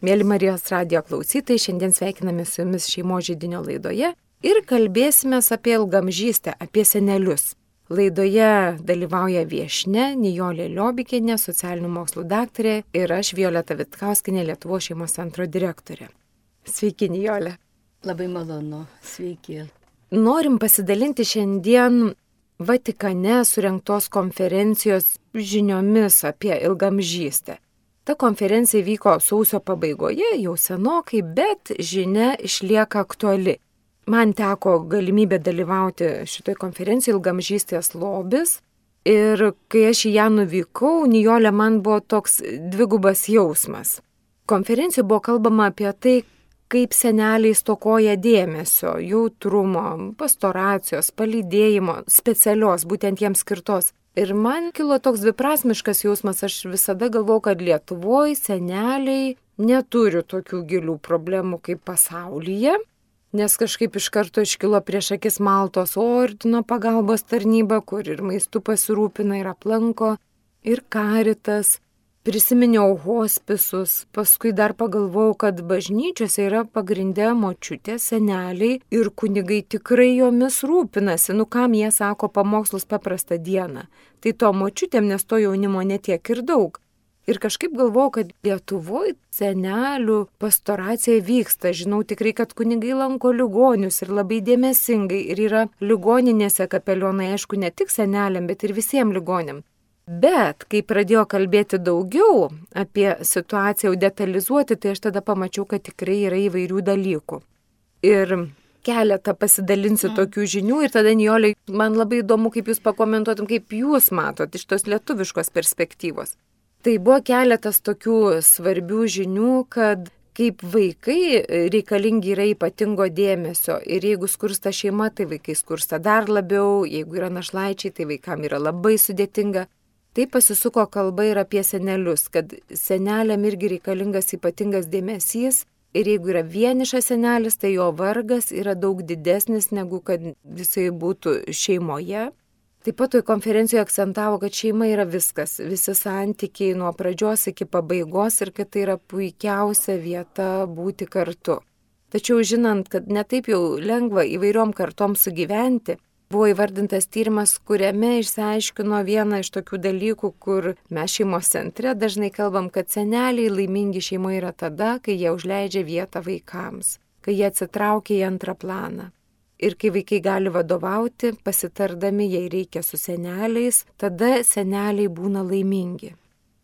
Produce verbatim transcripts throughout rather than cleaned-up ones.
Mėly Marijos radijo klausytojai, šiandien sveikiname su jumis šeimos židinio laidoje ir kalbėsime apie ilgamžystę, apie senelius. Laidoje dalyvauja viešnia Nijolė Liobikienė, socialinių mokslų daktarė ir aš Violeta Vitkauskinė, Lietuvos šeimos centro direktorė. Sveiki, Nijolė. Labai malonu, sveiki. Norim pasidalinti šiandien Vatikane surengtos konferencijos žiniomis apie ilgamžystę. Ta konferencija vyko sausio pabaigoje, jau senokai, bet žinia išlieka aktuali. Man teko galimybė dalyvauti šitoje konferencijoje ilgamžystės lobis ir kai aš į ją nuvykau, Nijolė, man buvo toks dvigubas jausmas. Konferencijoje buvo kalbama apie tai, kaip seneliai stokoja dėmesio, jautrumo, pastoracijos, palydėjimo, specialios, būtent jiems skirtos. Ir man kilo toks dviprasmiškas jausmas, aš visada galvau, kad Lietuvoje seneliai neturi tokių gilių problemų kaip pasaulyje, nes kažkaip iš karto iškilo prieš akis Maltos ordino pagalbos tarnyba, kur ir maistu pasirūpina ir aplanko, ir Karitas. Prisiminiau hospisus, paskui dar pagalvojau, kad bažnyčiose yra pagrindė močiutės, seneliai ir kunigai tikrai jomis rūpinasi, nu kam jie sako pamokslus paprastą dieną. Tai to močiutėm, nes to jaunimo netiek ir daug. Ir kažkaip galvojau, kad Lietuvoje senelių pastoracija vyksta. Žinau tikrai, kad kunigai lanko ligonius ir labai dėmesingai ir yra ligoninėse kapelionai, aišku, ne tik seneliam, bet ir visiems ligoniam. Bet, kai pradėjo kalbėti daugiau apie situaciją, jau detalizuoti, tai aš tada pamačiau, kad tikrai yra įvairių dalykų. Ir keletą pasidalinsiu mm. tokių žinių ir tada, Nijolė, man labai įdomu, kaip jūs pakomentuotum, kaip jūs matot iš tos lietuviškos perspektyvos. Tai buvo keletas tokių svarbių žinių, kad kaip vaikai reikalingi yra ypatingo dėmesio ir jeigu skursta šeima, tai vaikai skursta dar labiau, jeigu yra našlaičiai, tai vaikam yra labai sudėtinga. Tai pasisuko kalba ir apie senelius, kad seneliam irgi reikalingas ypatingas dėmesys ir jeigu yra vienišas senelis, tai jo vargas yra daug didesnis negu kad visai būtų šeimoje. Taip pat toj konferencijoje akcentavo, kad šeima yra viskas, visi santykiai nuo pradžios iki pabaigos ir kad tai yra puikiausia vieta būti kartu. Tačiau žinant, kad netaip jau lengva įvairiom kartom sugyventi, buvo įvardintas tyrimas, kuriame išsiaiškino vieną iš tokių dalykų, kur mes šeimos centre dažnai kalbam, kad seneliai laimingi šeimoje yra tada, kai jie užleidžia vietą vaikams, kai jie atsitraukia į antrą planą. Ir kai vaikai gali vadovauti, pasitardami, jei reikia su seneliais, tada seneliai būna laimingi.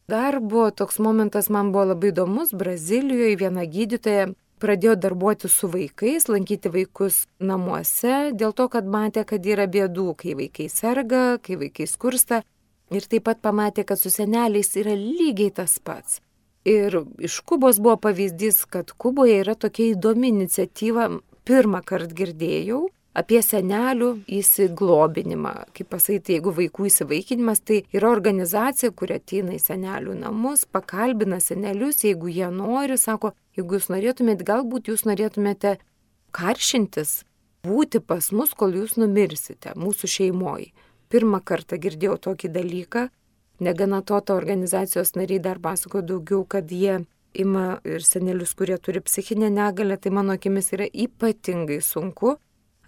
Dar buvo toks momentas, man buvo labai įdomus, Brazilijoje viena gydytoja pradėjo darbuoti su vaikais, lankyti vaikus namuose, dėl to, kad matė, kad yra bėdų, kai vaikai serga, kai vaikai skursta. Ir taip pat pamatė, kad su seneliais yra lygiai tas pats. Ir iš Kubos buvo pavyzdys, kad Kuboje yra tokia įdomi iniciatyva, pirmą kartą girdėjau, apie senelių įsiglobinimą. Kaip pasakyti, jeigu vaikų įsivaikinimas, tai yra organizacija, kuri ateina į senelių namus, pakalbina senelius, jeigu jie nori, sako, jeigu jūs norėtumėte, galbūt jūs norėtumėte karšintis, būti pas mus, kol jūs numirsite, mūsų šeimoje. Pirmą kartą girdėjau tokį dalyką, negana to, ta organizacijos nariai dar pasako daugiau, kad jie ima ir senelius, kurie turi psichinę negalią, tai mano akimis yra ypatingai sunku.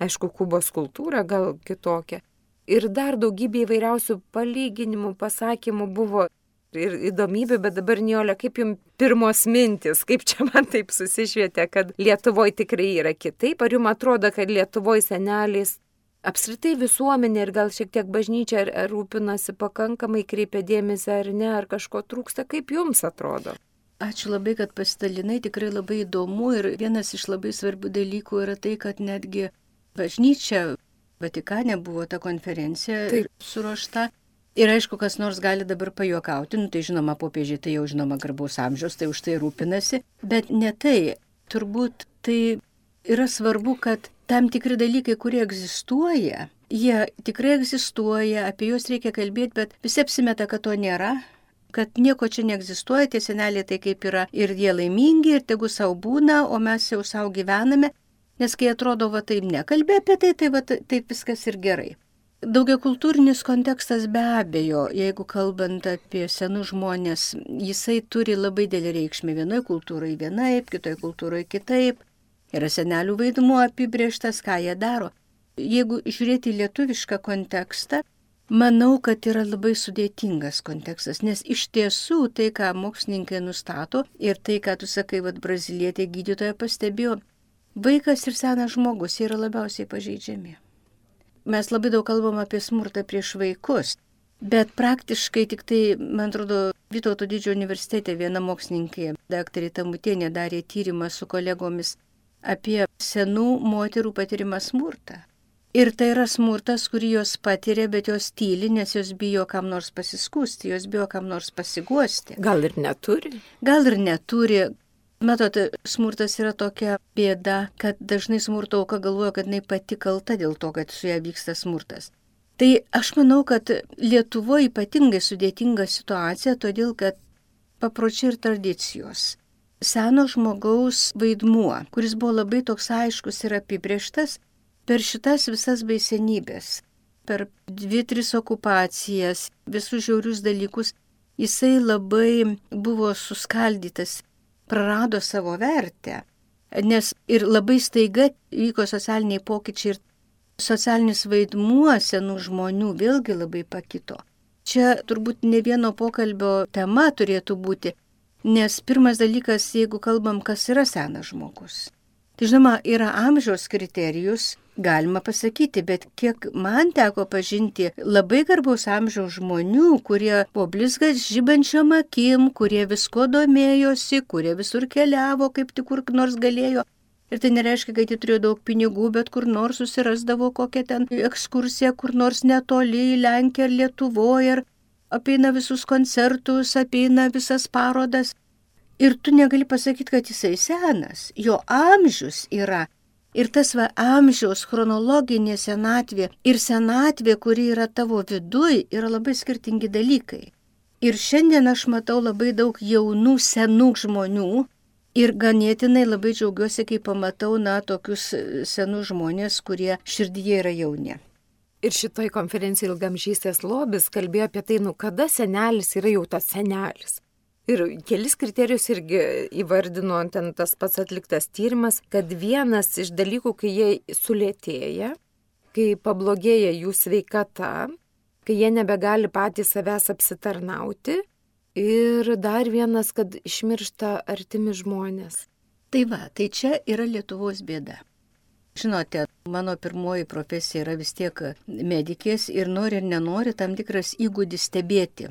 Aišku, Kubos kultūra gal kitokia. Ir dar daugybė įvairiausių palyginimų, pasakymų buvo ir įdomybių, bet dabar, Nijolė, kaip jums pirmos mintis, kaip čia man taip susišvietė, kad Lietuvoje tikrai yra kitaip? Ar jums atrodo, kad Lietuvoje seneliais apskritai visuomenė ir gal šiek tiek bažnyčia ar, ar rūpinasi pakankamai, kreipia dėmesį ar ne, ar kažko trūksta? Kaip jums atrodo? Ačiū labai, kad pasidalinai, tikrai labai įdomu ir vienas iš labai svarbių dalykų yra tai, kad netgi bažnyčia, Vatikane buvo ta konferencija Taip. suruošta. Ir aišku, kas nors gali dabar pajuokauti, nu tai žinoma, popiežiai tai jau žinoma garbaus amžiaus, tai už tai rūpinasi, bet ne tai. Turbūt tai yra svarbu, kad tam tikri dalykai, kurie egzistuoja, jie tikrai egzistuoja, apie juos reikia kalbėti, bet visi apsimeta, kad to nėra, kad nieko čia neegzistuoja, tie seneliai tai kaip yra ir jie laimingi, ir tegu savo būna, o mes jau savo gyvename. Nes kai atrodo, va taip nekalbė apie tai, tai va taip viskas ir gerai. Daugiakultūrinis kontekstas be abejo, jeigu kalbant apie senus žmonės, jisai turi labai didelį reikšmę vienoje kultūroje vienaip, kitoje kultūroje kitaip. Yra senelių vaidmuo apibrėžtas, ką jie daro. Jeigu žiūrėti į lietuvišką kontekstą, manau, kad yra labai sudėtingas kontekstas, nes iš tiesų tai, ką mokslininkai nustato ir tai, ką tu sakai, vad brazilietė gydytoja pastebėjo, vaikas ir senas žmogus yra labiausiai pažeidžiami. Mes labai daug kalbam apie smurtą prieš vaikus, bet praktiškai tik tai, man atrodo, Vytauto didžiojo universitete viena mokslininkė, daktarė Tamutienė, darė tyrimą su kolegomis apie senų moterų patirimą smurtą. Ir tai yra smurtas, kurį jos patiria, bet jos tyli, nes jos bijo kam nors pasiskūsti, jos bijo kam nors pasiguosti. Gal ir neturi? Gal ir neturi. Matot, smurtas yra tokia bėda, kad dažnai smurto auka galvoja, kad jinai pati kalta dėl to, kad su ją vyksta smurtas. Tai aš manau, kad Lietuvoje ypatingai sudėtinga situacija, todėl kad papročiai ir tradicijos. Seno žmogaus vaidmuo, kuris buvo labai toks aiškus ir apibrėžtas per šitas visas baisenybės, per dvi, tris okupacijas, visus žiaurius dalykus, jisai labai buvo suskaldytas, prarado savo vertę, nes ir labai staiga vyko socialiniai pokyčiai ir socialinis vaidmuo senų žmonių vėlgi labai pakito. Čia turbūt ne vieno pokalbio tema turėtų būti, nes pirmas dalykas, jeigu kalbam, kas yra senas žmogus. Tai žinoma, yra amžiaus kriterijus, galima pasakyti, bet kiek man teko pažinti labai garbaus amžiaus žmonių, kurie po blizgas žibančiom akim, kurie visko domėjosi, kurie visur keliavo, kaip tik kur nors galėjo. Ir tai nereiškia, kad jie turėjo daug pinigų, bet kur nors susirasdavo kokią ten ekskursiją, kur nors netoli į Lenkiją ar Lietuvoje, ir apeina visus koncertus, apeina visas parodas. Ir tu negali pasakyti, kad jisai senas, jo amžius yra. Ir tas va amžiaus chronologinė senatvė ir senatvė, kuri yra tavo viduj, yra labai skirtingi dalykai. Ir šiandien aš matau labai daug jaunų, senų žmonių ir ganėtinai labai džiaugiuosi, kai pamatau, na, tokius senus žmonės, kurie širdyje yra jauni. Ir šitoj konferencijai Ilgamžystės lobis kalbėjo apie tai, nu, kada senelis yra jau tas senelis. Ir kelis kriterijus irgi įvardino ten tas pats atliktas tyrimas, kad vienas iš dalykų, kai jie sulėtėja, kai pablogėja jų sveikata, kai jie nebegali patys savęs apsitarnauti, ir dar vienas, kad išmiršta artimi žmonės. Tai va, tai čia yra Lietuvos bėda. Žinote, mano pirmoji profesija yra vis tiek medikės ir nori ir nenori tam tikras įgūdis stebėti.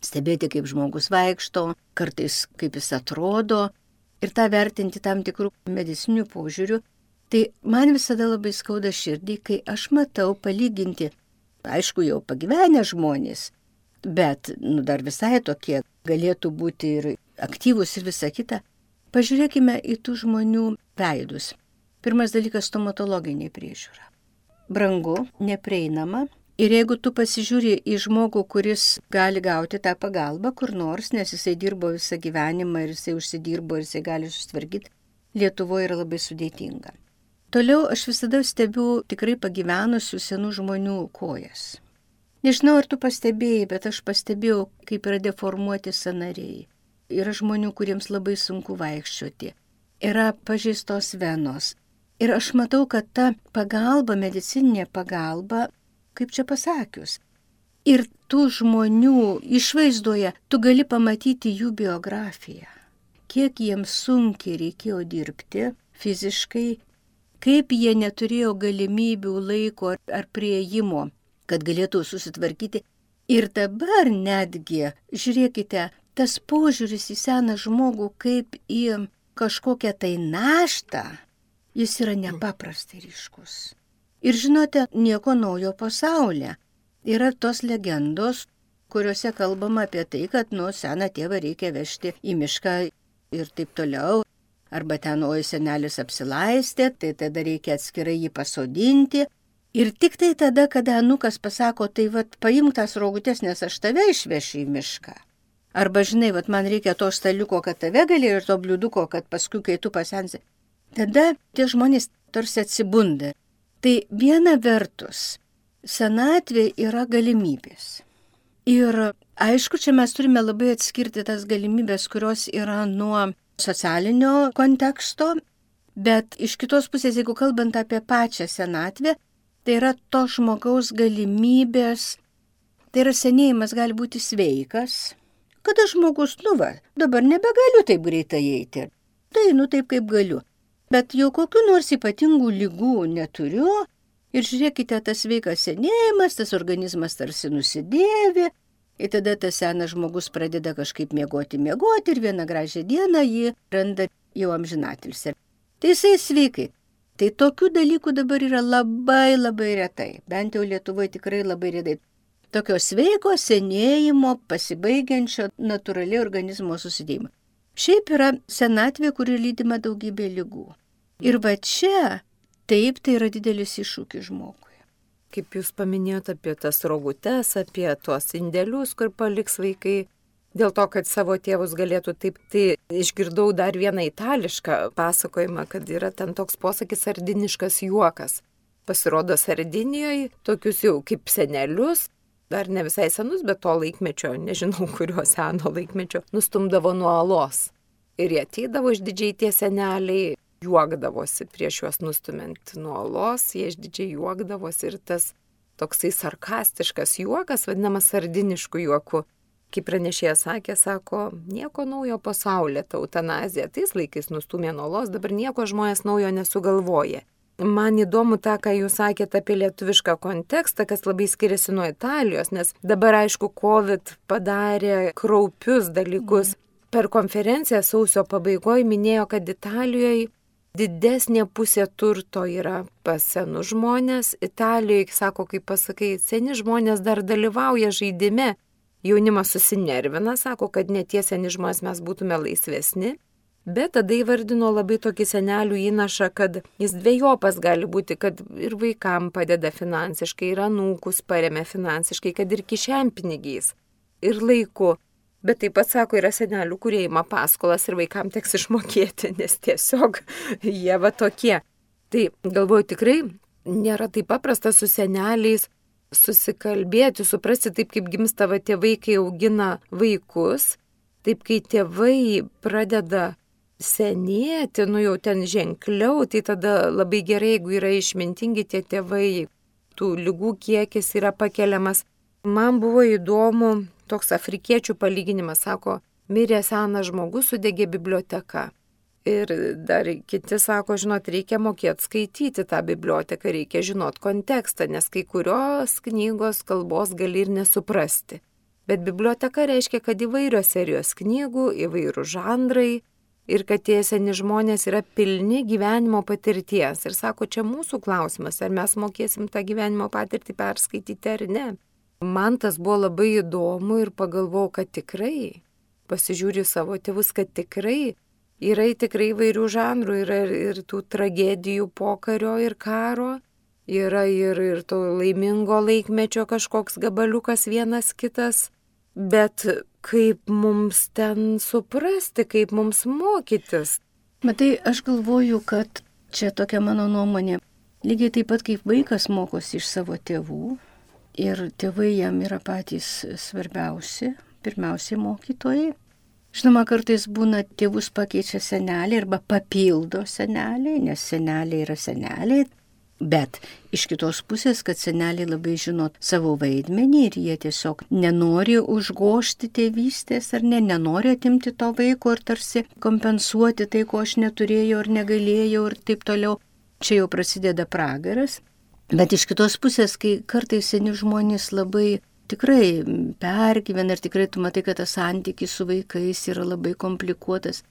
Stebėti, kaip žmogus vaikšto, kartais kaip jis atrodo ir tą vertinti tam tikrų medicinių požiūrių. Tai man visada labai skauda širdį, kai aš matau palyginti, aišku, jau pagyvenę žmonės, bet nu, dar visai tokie galėtų būti ir aktyvūs ir visa kita. Pažiūrėkime į tų žmonių veidus. Pirmas dalykas - stomatologinė priežiūra. Brangu, neprieinama. Ir jeigu tu pasižiūri į žmogų, kuris gali gauti tą pagalbą kur nors, nes jisai dirbo visą gyvenimą ir jisai užsidirbo ir jisai gali susitvarkyti, Lietuvoje yra labai sudėtinga. Toliau aš visada stebiu tikrai pagyvenusių senų žmonių kojas. Nežinau, ar tu pastebėjai, bet aš pastebėjau, kaip yra deformuoti sąnariai. Yra žmonių, kuriems labai sunku vaikščioti. Yra pažeistos venos. Ir aš matau, kad ta pagalba, medicininė pagalba, kaip čia pasakius. Ir tų žmonių išvaizdoje tu gali pamatyti jų biografiją. Kiek jiems sunkiai reikėjo dirbti fiziškai, kaip jie neturėjo galimybių, laiko ar prieimo, kad galėtų susitvarkyti. Ir dabar netgi, žiūrėkite, tas požiūris į seną žmogų kaip į kažkokią tai naštą, jis yra nepaprastai ryškus. Ir žinote, nieko naujo pasaulyje. Yra tos legendos, kuriuose kalbama apie tai, kad nuo seną tėvą reikia vežti į mišką ir taip toliau. Arba ten, oi, senelis apsilaistė, tai tada reikia atskirai jį pasodinti. Ir tik tai tada, kada anukas pasako, tai vat paimk tas rogutės, nes aš tave išvešiu į mišką. Arba žinai, vat man reikia to staliuko, kad tave gali ir to bliuduko, kad paskui, kai tu pasensi. Tada tie žmonės tarsi atsibunda. Tai viena vertus, senatvė yra galimybės. Ir aišku, čia mes turime labai atskirti tas galimybės, kurios yra nuo socialinio konteksto, bet iš kitos pusės, jeigu kalbant apie pačią senatvę, tai yra to žmogaus galimybės, tai yra senėjimas gali būti sveikas, kada žmogus, nu va, dabar nebegaliu taip greitai eiti, tai nu taip kaip galiu, bet jau kokiu nors ypatingų ligų neturiu ir žiūrėkite, tas sveikas senėjimas, tas organizmas tarsi nusidėvi, ir tada tas senas žmogus pradeda kažkaip miegoti, miegoti ir vieną gražią dieną jį randa jau amžinatilsį. Tai jisai sveikai. Tai tokių dalykų dabar yra labai labai retai, bent jau Lietuvoje tikrai labai retai. Tokio sveiko senėjimo, pasibaigiančio natūraliai organizmo susidėjimo. Šiaip yra senatvė, kuri lydima daugybė ligų. Ir va čia, taip, tai yra didelis iššūkis žmogui. Kaip jūs paminėjote apie tas rogutes, apie tuos indėlius, kur paliks vaikai, dėl to, kad savo tėvus galėtų taip, tai išgirdau dar vieną itališką pasakojimą, kad yra ten toks posakis sardiniškas juokas. Pasirodo Sardinijoje tokius jau kaip senelius, dar ne visai senus, bet to laikmečio, nežinau kurio seno laikmečio, nustumdavo nuo alos. Ir jie ateidavo išdidžiai tie seneliai, juokdavosi prieš juos nustumint nuo alos, jie išdidžiai juokdavosi ir tas toksai sarkastiškas juokas, vadinamas sardinišku juoku. Kaip pranešėjas sakė, sako, nieko naujo pasaulyje, ta eutanazija, tais laikais nustumė nuo alos, dabar nieko žmonės naujo nesugalvoja. Man įdomu tą, ką jūs sakėte apie lietuvišką kontekstą, kas labai skiriasi nuo Italijos, nes dabar, aišku, COVID padarė kraupius dalykus. Per konferenciją sausio pabaigoje minėjo, kad Italijoje didesnė pusė turto yra pas senus žmonės. Italijoje, sako, kaip pasakai, seni žmonės dar dalyvauja žaidime. Jaunimas susinervina, sako, kad ne tie seni žmonės mes būtume laisvesni. Bet tada įvardino labai tokį senelių įnašą, kad jis dviejopas gali būti, kad ir vaikam padeda finansiškai, ir anūkus paremia finansiškai, kad ir kišenpinigiais, ir laiku. Bet taip pat, sako, yra senelių, kurie ima paskolas ir vaikam teks išmokėti, nes tiesiog jie va tokie. Tai galvoju, tikrai nėra taip paprasta su seneliais susikalbėti, suprasti taip, kaip gimsta va tie vaikai augina vaikus, taip, kai tėvai pradeda senėti, nu jau ten ženkliau, tai tada labai gerai, jeigu yra išmintingi tie tėvai, tų ligų kiekis yra pakeliamas. Man buvo įdomu toks afrikiečių palyginimas, sako, mirė senas žmogus, sudegė biblioteka. Ir dar kiti sako, žinot, reikia mokėti skaityti tą biblioteką, reikia žinot kontekstą, nes kai kurios knygos kalbos gali ir nesuprasti. Bet biblioteka reiškia, kad įvairios serijos knygų, įvairių žanrai, ir kad tie seni žmonės yra pilni gyvenimo patirties. Ir sako, čia mūsų klausimas, ar mes mokėsim tą gyvenimo patirtį perskaityti ar ne. Man tas buvo labai įdomu ir pagalvojau, kad tikrai, pasižiūriu savo tėvus, kad tikrai yra tikrai įvairių žanrų, yra ir, ir tų tragedijų pokario ir karo, yra ir, ir to laimingo laikmečio kažkoks gabaliukas vienas kitas, bet kaip mums ten suprasti, kaip mums mokytis. Matai, aš galvoju, kad čia tokia mano nuomonė. Lygiai taip pat kaip vaikas mokosi iš savo tėvų ir tėvai jam yra patys svarbiausi, pirmiausiai mokytojai. Žinoma, kartais būna tėvus pakeičia seneliai arba papildo seneliai, nes seneliai yra seneliai. Bet iš kitos pusės, kad seneliai labai žino savo vaidmenį ir jie tiesiog nenori užgožti tėvystės ar ne, nenori atimti to vaiko ir tarsi kompensuoti tai, ko aš neturėjau ar negalėjau ir taip toliau. Čia jau prasideda pragaras. Bet iš kitos pusės, kai kartais seni žmonės labai tikrai pergyvena ir tikrai tu matai, kad tas santykis su vaikais yra labai komplikuotas.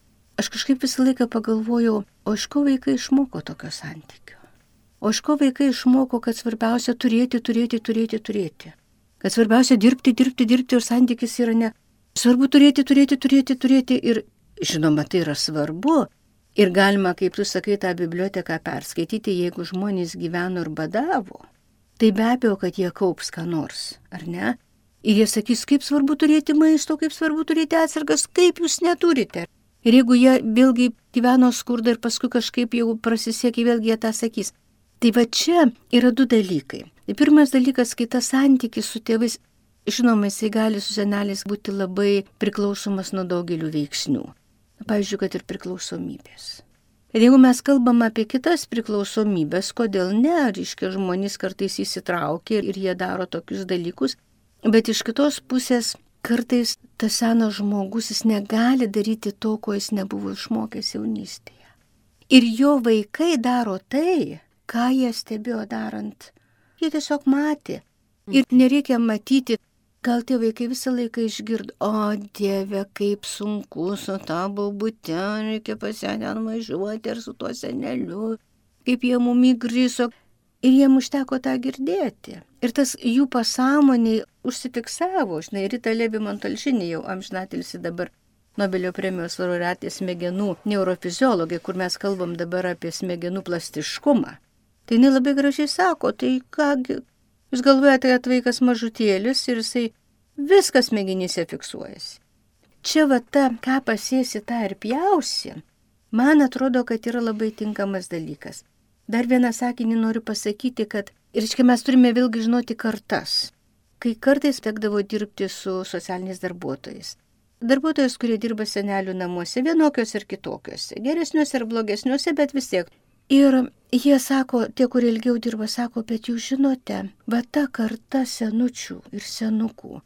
Aš kažkaip visą laiką pagalvojau, o iš ko vaikai išmoko tokio santykio? O iš ko vaikai išmoko, kad svarbiausia turėti, turėti, turėti, turėti. Kad svarbiausia dirbti, dirbti, dirbti ir santykis yra ne. Svarbu turėti, turėti, turėti, turėti ir žinoma, tai yra svarbu. Ir galima, kaip tu sakai, tą biblioteką perskaityti, jeigu žmonės gyveno ir badavo. Tai be abejo, kad jie kaups ką nors, ar ne? Ir jie sakys, kaip svarbu turėti maisto, kaip svarbu turėti atsargas, kaip jūs neturite. Ir jeigu jie vėlgi gyveno skurdą ir paskui kažkaip jau prasisiekė, vėlgi jie tą sakys. Tai va čia yra du dalykai. Tai pirmas dalykas, kai tas santykis su tėvais, žinoma, jisai gali su seneliais būti labai priklausomas nuo daugelių veiksnių. Pavyzdžiui, kad ir priklausomybės. Ir jeigu mes kalbam apie kitas priklausomybės, kodėl ne, reiškia, žmonės kartais įsitraukia ir jie daro tokius dalykus, bet iš kitos pusės kartais tas senas žmogus, jis negali daryti to, ko jis nebuvo išmokęs jaunystėje. Ir jo vaikai daro tai, ką jie stebėjo darant. Jie tiesiog matė. Ir nereikia matyti, gal tie vaikai visą laiką išgirdo, o Dieve, kaip sunku su ta baubute, reikia pas ją ten važiuoti ir su tuo seneliu, kaip jie mum įgriso. Ir jiem užteko tą girdėti. Ir tas jų pasąmoniai užsifiksavo, žinai, Rita Levi-Montalcini jau amžinatilsi dabar Nobelio premijos laureatė smegenų neurofiziologė, kur mes kalbam dabar apie smegenų plastiškumą. Tai jinai labai gražiai sako, tai kągi, jūs galvojate, kad vaikas mažutėlis ir jisai viskas smegenyse fiksuojasi. Čia va ta, ką pasėsi, tą ir pjausi, man atrodo, kad yra labai tinkamas dalykas. Dar vieną sakinį noriu pasakyti, kad, ir iškai mes turime vėlgi žinoti kartas, kai kartais tekdavo dirbti su socialiniais darbuotojais. Darbuotojas, kurie dirba senelių namuose, vienokios ir kitokiose, geresniuose ir blogesniuose, bet vis tiek. Ir jie sako, tie, kurie ilgiau dirba, sako, bet jūs žinote, va ta karta senučių ir senukų,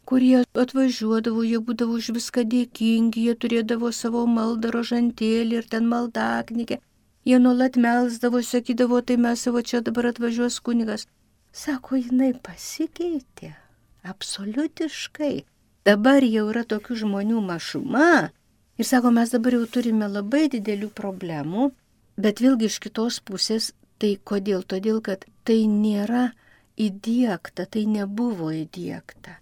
kurie atvažiuodavo, jie būdavo už viską dėkingi, jie turėdavo savo maldą rožantėlį ir ten maldaknygę, jie nuolat melsdavo, sakydavo, tai mes savo čia dabar atvažiuos kunigas. Sako, jinai pasikeitė, absoliutiškai. Dabar jau yra tokių žmonių mažuma ir sako, mes dabar jau turime labai didelių problemų. Bet vėlgi iš kitos pusės, tai kodėl? Todėl, kad tai nėra įdiegta, tai nebuvo įdiegta.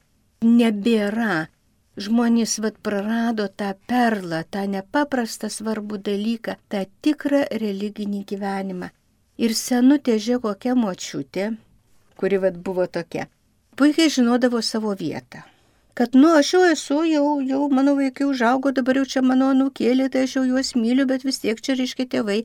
Nebėra. Žmonės vat prarado tą perlą, tą nepaprastą svarbų dalyką, tą tikrą religinį gyvenimą. Ir senutė, žiūrėk, kokia močiutė, kuri vat buvo tokia, puikiai žinodavo savo vietą. Kad, nu, aš jau esu, jau, jau mano vaikai užaugo, dabar jau čia mano anūkėlė, tai aš jau juos myliu, bet vis tiek čia reiškia tėvai.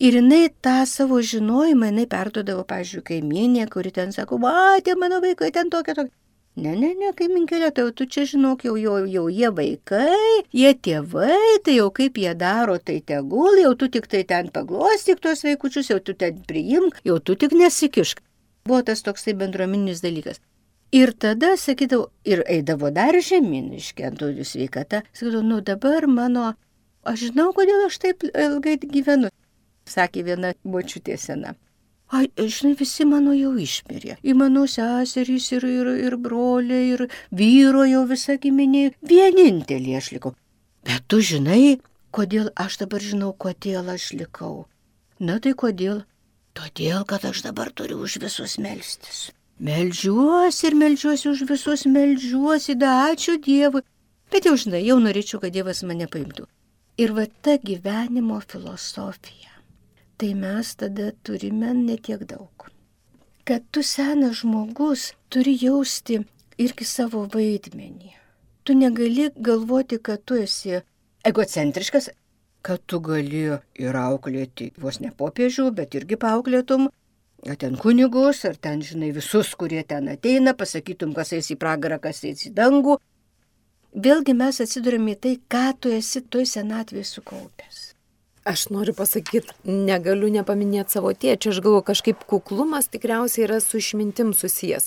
Ir jinai tą savo žinojimą, jinai perduodavo, pavyzdžiui, kaimynė, kuri ten sako, va, tie mano vaikai ten tokie, tokie. Ne, ne, ne, kaiminkėlė, tai jau tu čia žinok, jau, jau, jau jie vaikai, jie tėvai, tai jau kaip jie daro, tai tegul, jau tu tik tai ten paglostyk tuos vaikučius, jau tu ten priimk, jau tu tik nesikišk. Buvo tas toksai bendruomeninis dalykas. Ir tada, sakydavau, ir eidavo dar žemyn, iškentųjų sveikata, sakydavau, nu dabar mano, aš žinau, kodėl aš taip ilgai gyvenu, sakė viena močiutė sena. Ai, žinai, visi mano jau išmirė. Ir mano seserys, ir, ir, ir broliai, ir vyro jau visa giminė. Vienintelį aš likau. Bet tu žinai, kodėl aš dabar žinau, kodėl aš likau. Na tai kodėl? Todėl, kad aš dabar turiu už visus melstis. Meldžiuosi ir meldžiuosi už visus, meldžiuosi, da ačiū Dievui. Bet jau žinai, jau norėčiau, kad Dievas mane paimtų. Ir va ta gyvenimo filosofija. Tai mes tada turime netiek daug. Kad tu senas žmogus turi jausti irgi savo vaidmenį. Tu negali galvoti, kad tu esi egocentriškas, kad tu gali ir auklėti vos ne popiežių, bet irgi paauklėtum, ar ten kunigus, ar ten, žinai, visus, kurie ten ateina, pasakytum, kas eis į pragarą, kas eis į dangų. Vėlgi mes atsidurime į tai, ką tu esi toj senatvėje sukaupęs. Aš noriu pasakyti, negaliu nepaminėti savo tėčio, aš galvoju, kažkaip kuklumas tikriausiai yra su išmintim susijęs.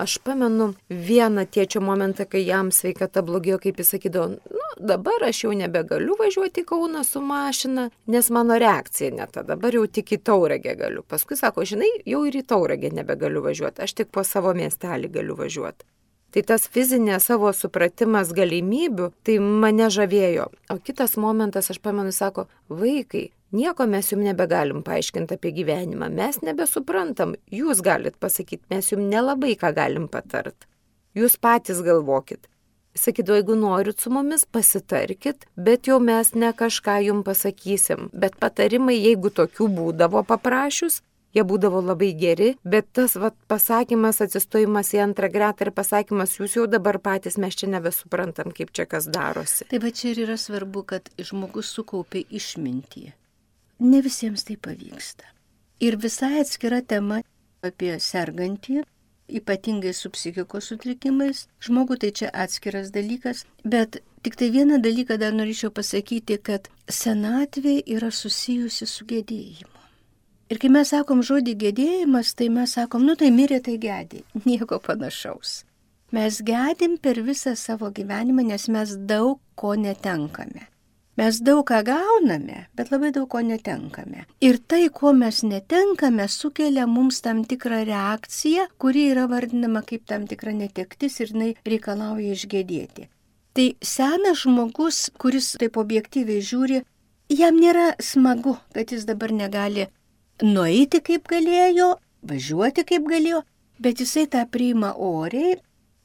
Aš pamenu vieną tėčio momentą, kai jam sveikata blogėjo, kaip jis sakydavo, nu dabar aš jau nebegaliu važiuoti į Kauną su mašina, nes mano reakcija ne ta, dabar jau tik į Tauragę galiu. Paskui sako, žinai, jau ir į Tauragę nebegaliu važiuoti, aš tik po savo miestelį galiu važiuoti. Tai tas fizinės savo supratimas galimybių, tai mane žavėjo. O kitas momentas, aš pamenu, sako, vaikai, nieko mes jums nebegalim paaiškinti apie gyvenimą, mes nebesuprantam, jūs galit pasakyti, mes jums nelabai ką galim patart. Jūs patys galvokit. Sakydavo, jeigu norit su mumis, pasitarkit, bet jau mes ne kažką jums pasakysim. Bet patarimai, jeigu tokių būdavo paprašius, jie būdavo labai geri, bet tas vat, pasakymas, atsistojimas į antrą gretą ir pasakymas, jūs jau dabar patys, mes čia nebesuprantam, kaip čia kas darosi. Tai va čia ir yra svarbu, kad žmogus sukaupė išmintį. Ne visiems tai pavyksta. Ir visai atskira tema, apie sergantį, ypatingai su psichikos sutrikimais. Žmogų tai čia atskiras dalykas, bet tik tai vieną dalyką dar norėčiau pasakyti, kad senatvė yra susijusi su gedėjimu. Ir kai mes sakom žodį gedėjimas, tai mes sakom, nu tai mirė, tai gedė. Nieko panašaus. Mes gedim per visą savo gyvenimą, nes mes daug ko netenkame. Mes daug ką gauname, bet labai daug ko netenkame. Ir tai, ko mes netenkame, sukelia mums tam tikrą reakciją, kuri yra vardinama kaip tam tikra netektis ir jinai reikalauja išgedėti. Tai senas žmogus, kuris taip objektyviai žiūri, jam nėra smagu, kad jis dabar negali nueiti kaip galėjo, važiuoti kaip galėjo, bet jisai tą priima oriai,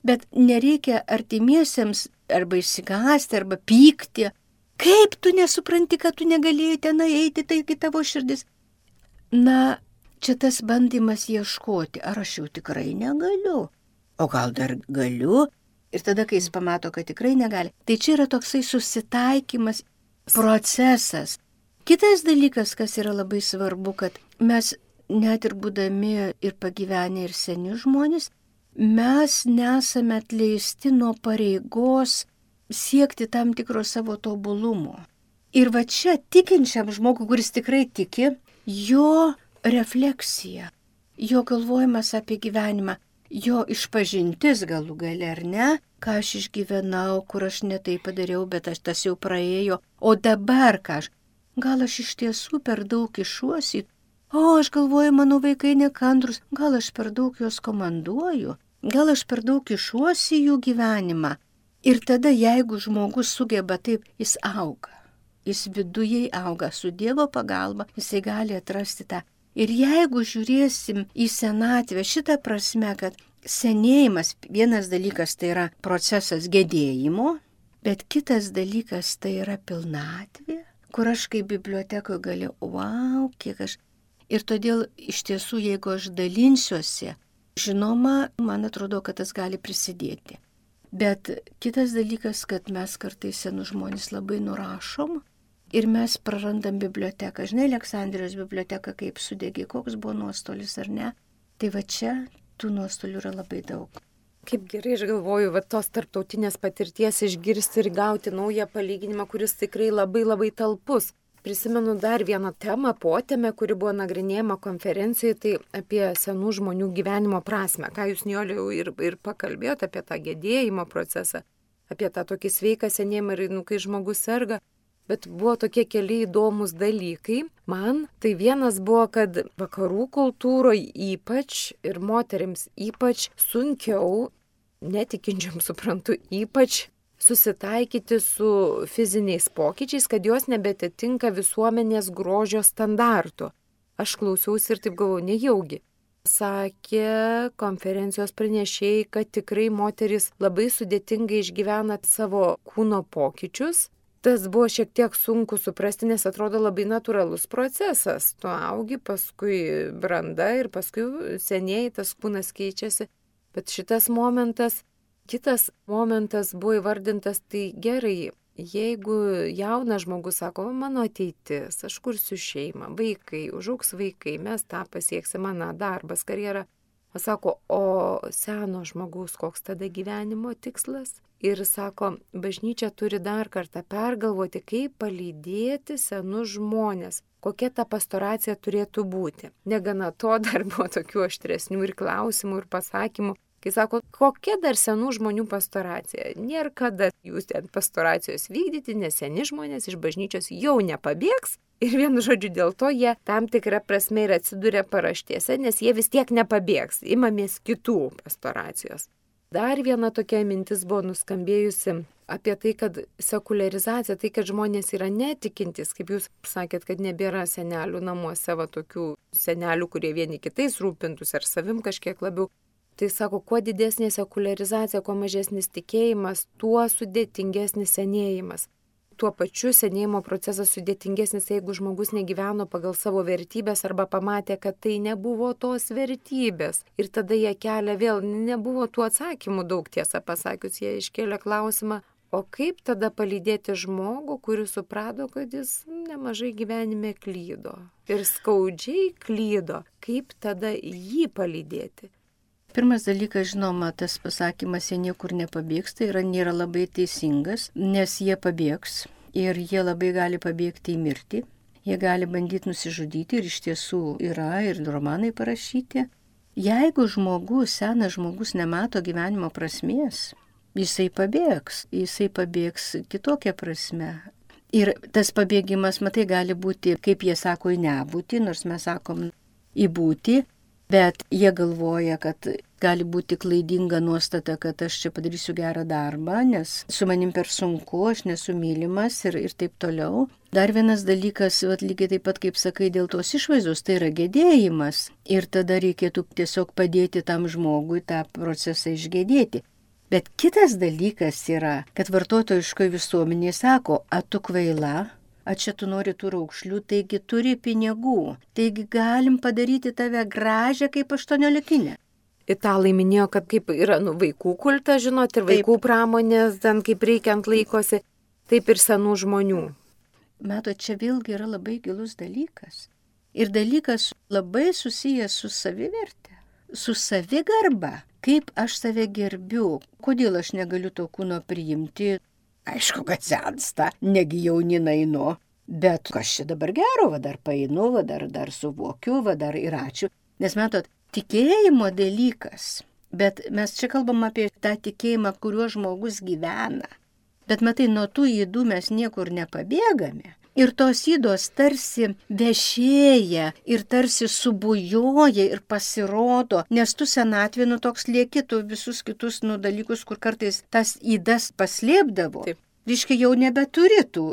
bet nereikia artimiesiems arba išsigąsti, arba pykti. Kaip tu nesupranti, kad tu negalėjai ten eiti, taigi tavo širdis. Na, čia tas bandymas ieškoti, ar aš jau tikrai negaliu, o gal dar galiu. Ir tada, kai jis pamato, kad tikrai negali, tai čia yra toksai susitaikymas, procesas. Kitas dalykas, kas yra labai svarbu, kad mes net ir būdami ir pagyvenę ir seni žmonės, mes nesame atleisti nuo pareigos siekti tam tikro savo tobulumo. Ir va čia tikinčiam žmogui, kuris tikrai tiki, jo refleksija, jo galvojimas apie gyvenimą, jo išpažintis galų gale ar ne, ką aš išgyvenau, kur aš netai padariau, bet aš tas jau praėjo, o dabar ką aš, gal aš iš tiesų per daug išuosi, o aš galvoju, mano vaikai nekantrus, gal aš per daug juos komanduoju, gal aš per daug išuosi jų gyvenimą. Ir tada, jeigu žmogus sugeba taip, jis auga. Jis viduje auga su Dievo pagalba, jisai gali atrasti tą. Ir jeigu žiūrėsim į senatvę šitą prasme, kad senėjimas, vienas dalykas tai yra procesas gedėjimo, bet kitas dalykas tai yra pilnatvė, kur aš kaip bibliotekoje galiu, wow, kiek aš. Ir todėl iš tiesų, jeigu aš dalinsiuosi, žinoma, man atrodo, kad tas gali prisidėti. Bet kitas dalykas, kad mes kartais senus žmonės labai nurašom ir mes prarandam biblioteką. Žinai, Aleksandrijos biblioteka kaip sudegė, koks buvo nuostolis ar ne. Tai va čia tų nuostolių yra labai daug. Kaip gerai, aš galvoju, va tos tarptautinės patirties išgirsti ir gauti naują palyginimą, kuris tikrai labai labai talpus. Prisimenu dar vieną temą, potėmę, kuri buvo nagrinėjama konferencijoje, tai apie senų žmonių gyvenimo prasme. Ką jūs, Nijolė, ir, ir pakalbėjote apie tą gedėjimo procesą, apie tą tokį sveiką senėjimą ir, nu, kai žmogus serga. Bet buvo tokie keli įdomus dalykai. Man tai vienas buvo, kad vakarų kultūroje ypač ir moterims ypač sunkiau, netikinčiam suprantu, ypač susitaikyti su fiziniais pokyčiais, kad jos nebetitinka visuomenės grožio standartų. Aš klausiausi ir taip galvoju, nejaugi. Sakė konferencijos pranešėjai, kad tikrai moteris labai sudėtingai išgyvena savo kūno pokyčius. Tas buvo šiek tiek sunku suprasti, nes atrodo labai natūralus procesas. Tu augi, paskui branda ir paskui senėji, tas kūnas keičiasi. Bet šitas momentas, kitas momentas buvo įvardintas, tai gerai, jeigu jaunas žmogus sako, mano ateitis, aš kursiu šeimą, vaikai, užaugs vaikai, mes tą pasieksim, mano darbas, karjera. O sako, o seno žmogaus koks tada gyvenimo tikslas? Ir sako, bažnyčia turi dar kartą pergalvoti, kaip palydėti senus žmonės, kokia ta pastoracija turėtų būti. Negana to, dar buvo tokių aštresnių ir klausimų ir pasakymų. Kai sako, kokia dar senų žmonių pastoracija? Nėra kada jūs ten pastoracijos vykdyti, nes seni žmonės iš bažnyčios jau nepabėgs. Ir vienu žodžiu dėl to jie tam tikrą prasme ir atsiduria paraštėse, nes jie vis tiek nepabėgs, imamės kitų pastoracijos. Dar viena tokia mintis buvo nuskambėjusi apie tai, kad sekuliarizacija, tai kad žmonės yra netikintis, kaip jūs sakėt, kad nebėra senelių namuose, va tokių senelių, kurie vieni kitais rūpintus ar savim kažkiek labiau. Tai sako, kuo didesnė sekuliarizacija, kuo mažesnis tikėjimas, tuo sudėtingesnis senėjimas. Tuo pačiu senėjimo procesas sudėtingesnis, jeigu žmogus negyveno pagal savo vertybės arba pamatė, kad tai nebuvo tos vertybės. Ir tada jie kelia vėl, nebuvo tų atsakymų daug, tiesą pasakius, jie iškėlė klausimą, O kaip tada palydėti žmogų, kuris suprato, kad jis nemažai gyvenime klydo ir skaudžiai klydo? Kaip tada jį palydėti? Pirmas dalykas, žinoma, tas pasakymas, jie niekur nepabėgs, tai yra nėra labai teisingas, nes jie pabėgs ir jie labai gali pabėgti į mirtį. Jie gali bandyti nusižudyti ir iš tiesų yra ir romanai parašyti. Jeigu žmogus, senas žmogus nemato gyvenimo prasmės, jisai pabėgs, jisai pabėgs kitokią prasme. Ir tas pabėgimas, matai, gali būti, kaip jie sako, į nebūtį, nors mes sakom į būtį, bet jie galvoja, kad gali būti klaidinga nuostata, kad aš čia padarysiu gerą darbą, nes su manim per sunku, aš nesu mylimas ir, ir taip toliau. Dar vienas dalykas, vat, lygiai taip pat, kaip sakai, dėl tos išvaizdos, tai yra gedėjimas. Ir tada reikėtų tiesiog padėti tam žmogui tą procesą išgedėti. Bet kitas dalykas yra, kad vartotojiškoje visuomenėje sako, a tu kvaila, a čia tu nori tų raukšlių, taigi turi pinigų, taigi galim padaryti tave gražią kaip aštuoniolikinę. Italai minėjo, kad kaip yra nu, vaikų kultas, žinot, ir vaikų taip. Pramonės, ten kaip reikiant laikosi, taip ir senų žmonių. Matot, čia vėlgi yra labai gilus dalykas. Ir dalykas labai susijęs su savivertė, su savigarba. Kaip aš save gerbiu, kodėl aš negaliu to kūno priimti, aišku, kad sensta, negi jaunina einu, bet kas čia dabar gero, va dar paeinu, va dar, dar suvokiu, va dar ir ačiū. Nes matot, tikėjimo dalykas, bet mes čia kalbam apie tą tikėjimą, kuriuo žmogus gyvena. Bet matai, nuo tų ydų mes niekur nepabėgame. Ir tos ydos tarsi vešėja ir tarsi subujoja ir pasirodo, nes tu senatvė nu toks lieki, tu visus kitus nu dalykus, kur kartais tas ydas paslėpdavo. Taip. Reiškia, jau nebeturi tų.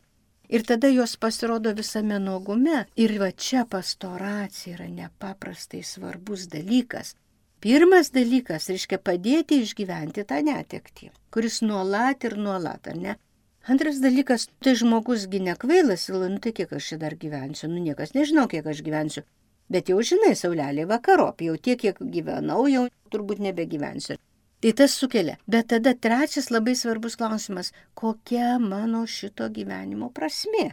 Ir tada jos pasirodo visame nuogume. Ir va čia pastoracija yra nepaprastai svarbus dalykas. Pirmas dalykas, reiškia, padėti išgyventi tą netektį, kuris nuolat ir nuolat, ar ne? Antras dalykas, tai žmogusgi nekvailas, nu tai kiek aš čia dar gyvensiu, nu niekas nežinau, kiek aš gyvensiu, bet jau žinai, saulelė vakarop, jau tiek, kiek gyvenau, jau turbūt nebegyvensiu. Tai tas sukelia. Bet tada trečias labai svarbus klausimas, kokia mano šito gyvenimo prasmė?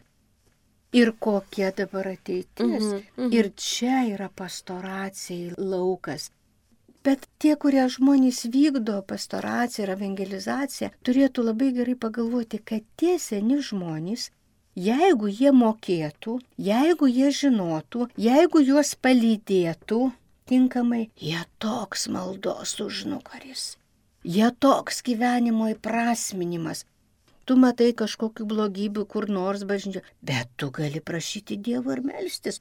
Ir kokia dabar ateitis? Mhm, mhm. Ir čia yra pastoracijai laukas. Bet tie, kurie žmonės vykdo pastoraciją ir evangelizaciją, turėtų labai gerai pagalvoti, kad tie seni žmonės, jeigu jie mokėtų, jeigu jie žinotų, jeigu juos palydėtų tinkamai, jie toks maldos užnugaris, jie toks gyvenimo įprasminimas. Tu matai kažkokių blogybių kur nors bažnyčioje, bet tu gali prašyti Dievo ir melstis.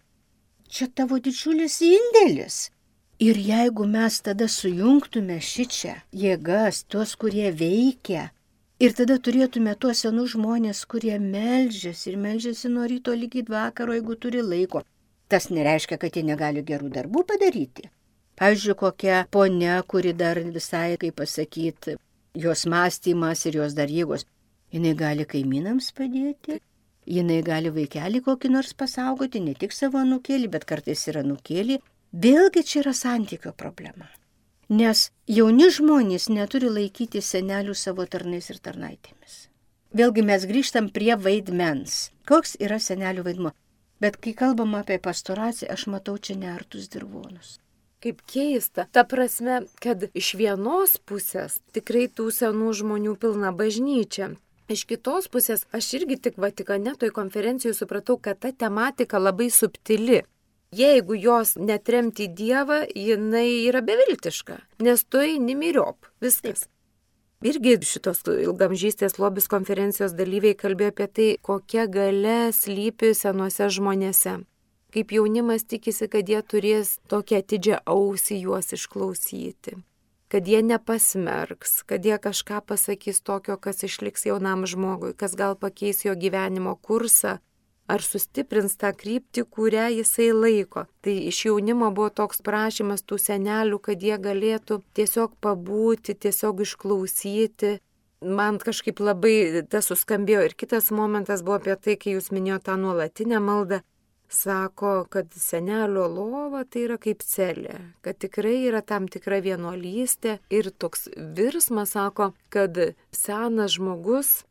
Čia tavo didžiulis indėlis. Ir jeigu mes tada sujungtume šičia jėgas, tuos, kurie veikia, ir tada turėtume tuos senus žmonės, kurie meldžiasi ir meldžiasi nuo ryto lygiai vakaro, jeigu turi laiko, tas nereiškia, kad jie negali gerų darbų padaryti. Pavyzdžiui, kokia ponia, kuri dar visai, kaip pasakyti, jos mąstymas ir jos dar jėgos, jinai gali kaimynams padėti, jinai gali vaikelį kokį nors pasaugoti, ne tik savo anūkėlį, bet kartais yra anūkėlį. Vėlgi čia yra santykio problema, nes jauni žmonės neturi laikyti senelių savo tarnais ir tarnaitėmis. Vėlgi mes grįžtam prie vaidmens. Koks yra senelių vaidmuo? Bet kai kalbam apie pastoraciją, aš matau čia neartus dirvonus. Kaip keista, ta prasme, kad iš vienos pusės tikrai tų senų žmonių pilna bažnyčia. Iš kitos pusės, aš irgi tik Vatikane toj konferencijoje supratau, kad ta tematika labai subtili. Jeigu jos netremti Dievą, jinai yra beviltiška, nes tu eini myriop, viskas. Irgi šitos ilgamžystės lobis konferencijos dalyviai kalbėjo apie tai, kokia galia slypi senuose žmonėse. Kaip jaunimas tikisi, kad jie turės tokią atidžią ausį juos išklausyti, kad jie nepasmerks, kad jie kažką pasakys tokio, kas išliks jaunam žmogui, kas gal pakeis jo gyvenimo kursą, ar sustiprins tą kryptį, kurią jisai laiko. Tai iš jaunimo buvo toks prašymas tų senelių, kad jie galėtų tiesiog pabūti, tiesiog išklausyti. Man kažkaip labai tas suskambėjo. Ir kitas momentas buvo apie tai, kai jūs minėjote tą nuolatinę maldą. Sako, kad senelio lova tai yra kaip celė, kad tikrai yra tam tikra vienuolystė. Ir toks virsmas sako, kad senas žmogus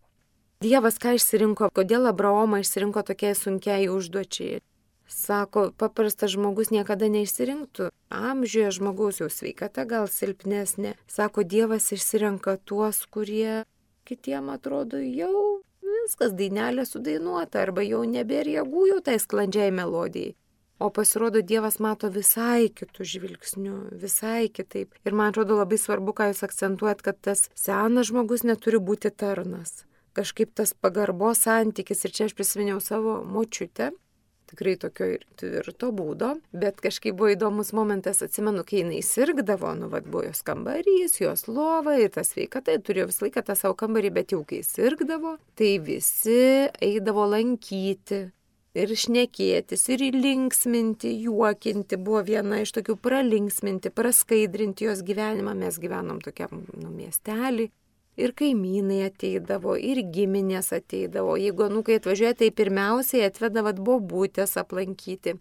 Dievas ką išsirinko, kodėl Abraomą išsirinko tokiai sunkiai užduočiai. Sako, paprastas žmogus niekada neišsirinktų. Amžiuje žmogaus jau sveikata gal silpnesnė. Sako, Dievas išsirenka tuos, kurie kitiem atrodo jau viskas dainelė sudainuota arba jau nebėra jėgų jau tai sklandžiai melodijai. O pasirodo, Dievas mato visai kitų žvilgsnių, visai kitaip. Ir man atrodo labai svarbu, ką jūs akcentuojat, kad tas senas žmogus neturi būti tarnas. Kažkaip tas pagarbos santykis, ir čia aš prisiminiau savo močiutę, tikrai tokio ir tvirto būdo, bet kažkaip buvo įdomus momentas, atsimenu, kai jinai sirgdavo, nu, vad buvo jos kambarys, jos lova ir tas sveikata, turėjo visą laiką tą savo kambarį, bet jau kai sirgdavo, tai visi eidavo lankyti ir šnekėtis, ir linksminti, juokinti, buvo viena iš tokių pralinksminti, praskaidrinti jos gyvenimą, mes gyvenom tokiam, nu, miestelį. Ir kaimynai ateidavo, ir giminės ateidavo. Jeigu anūkai atvažiuoja, tai pirmiausiai atvedavat bobutės aplankyti.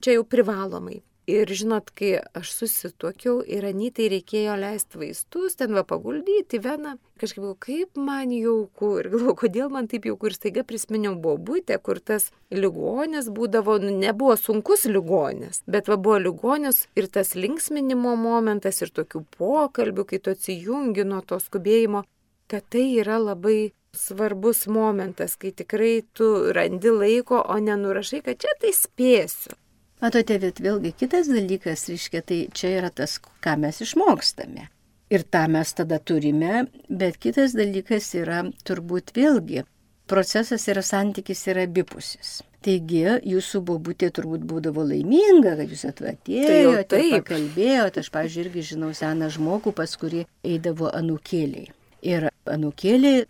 Čia jau privalomai. Ir žinot, kai aš susituokiau ir Anytai reikėjo leisti vaistus, ten va paguldyti veną. Kažkaip galvoju, kaip man jauku. Ir galvoju, kodėl man taip jauku. Ir staiga prisiminiau bobutę, kur tas ligonis būdavo, nu, nebuvo sunkus ligonis, bet va buvo ligonis ir tas linksminimo momentas ir tokių pokalbių, kai tu atsijungi nuo to skubėjimo. Kad tai yra labai svarbus momentas, kai tikrai tu randi laiko, o nenurašai, kad čia tai spėsiu. Matote, bet vėlgi kitas dalykas, reiškia, tai čia yra tas, ką mes išmokstame. Ir tą mes tada turime, bet kitas dalykas yra turbūt vėlgi, procesas yra santykis yra abipusis. Taigi, jūsų bobutė turbūt būdavo laiminga, kad jūs atvatėjote, tai pakalbėjote. Aš, pavyzdžiui, irgi žinau seną žmogų, pas kurį eidavo anūkėliai. Ir anūkėlė,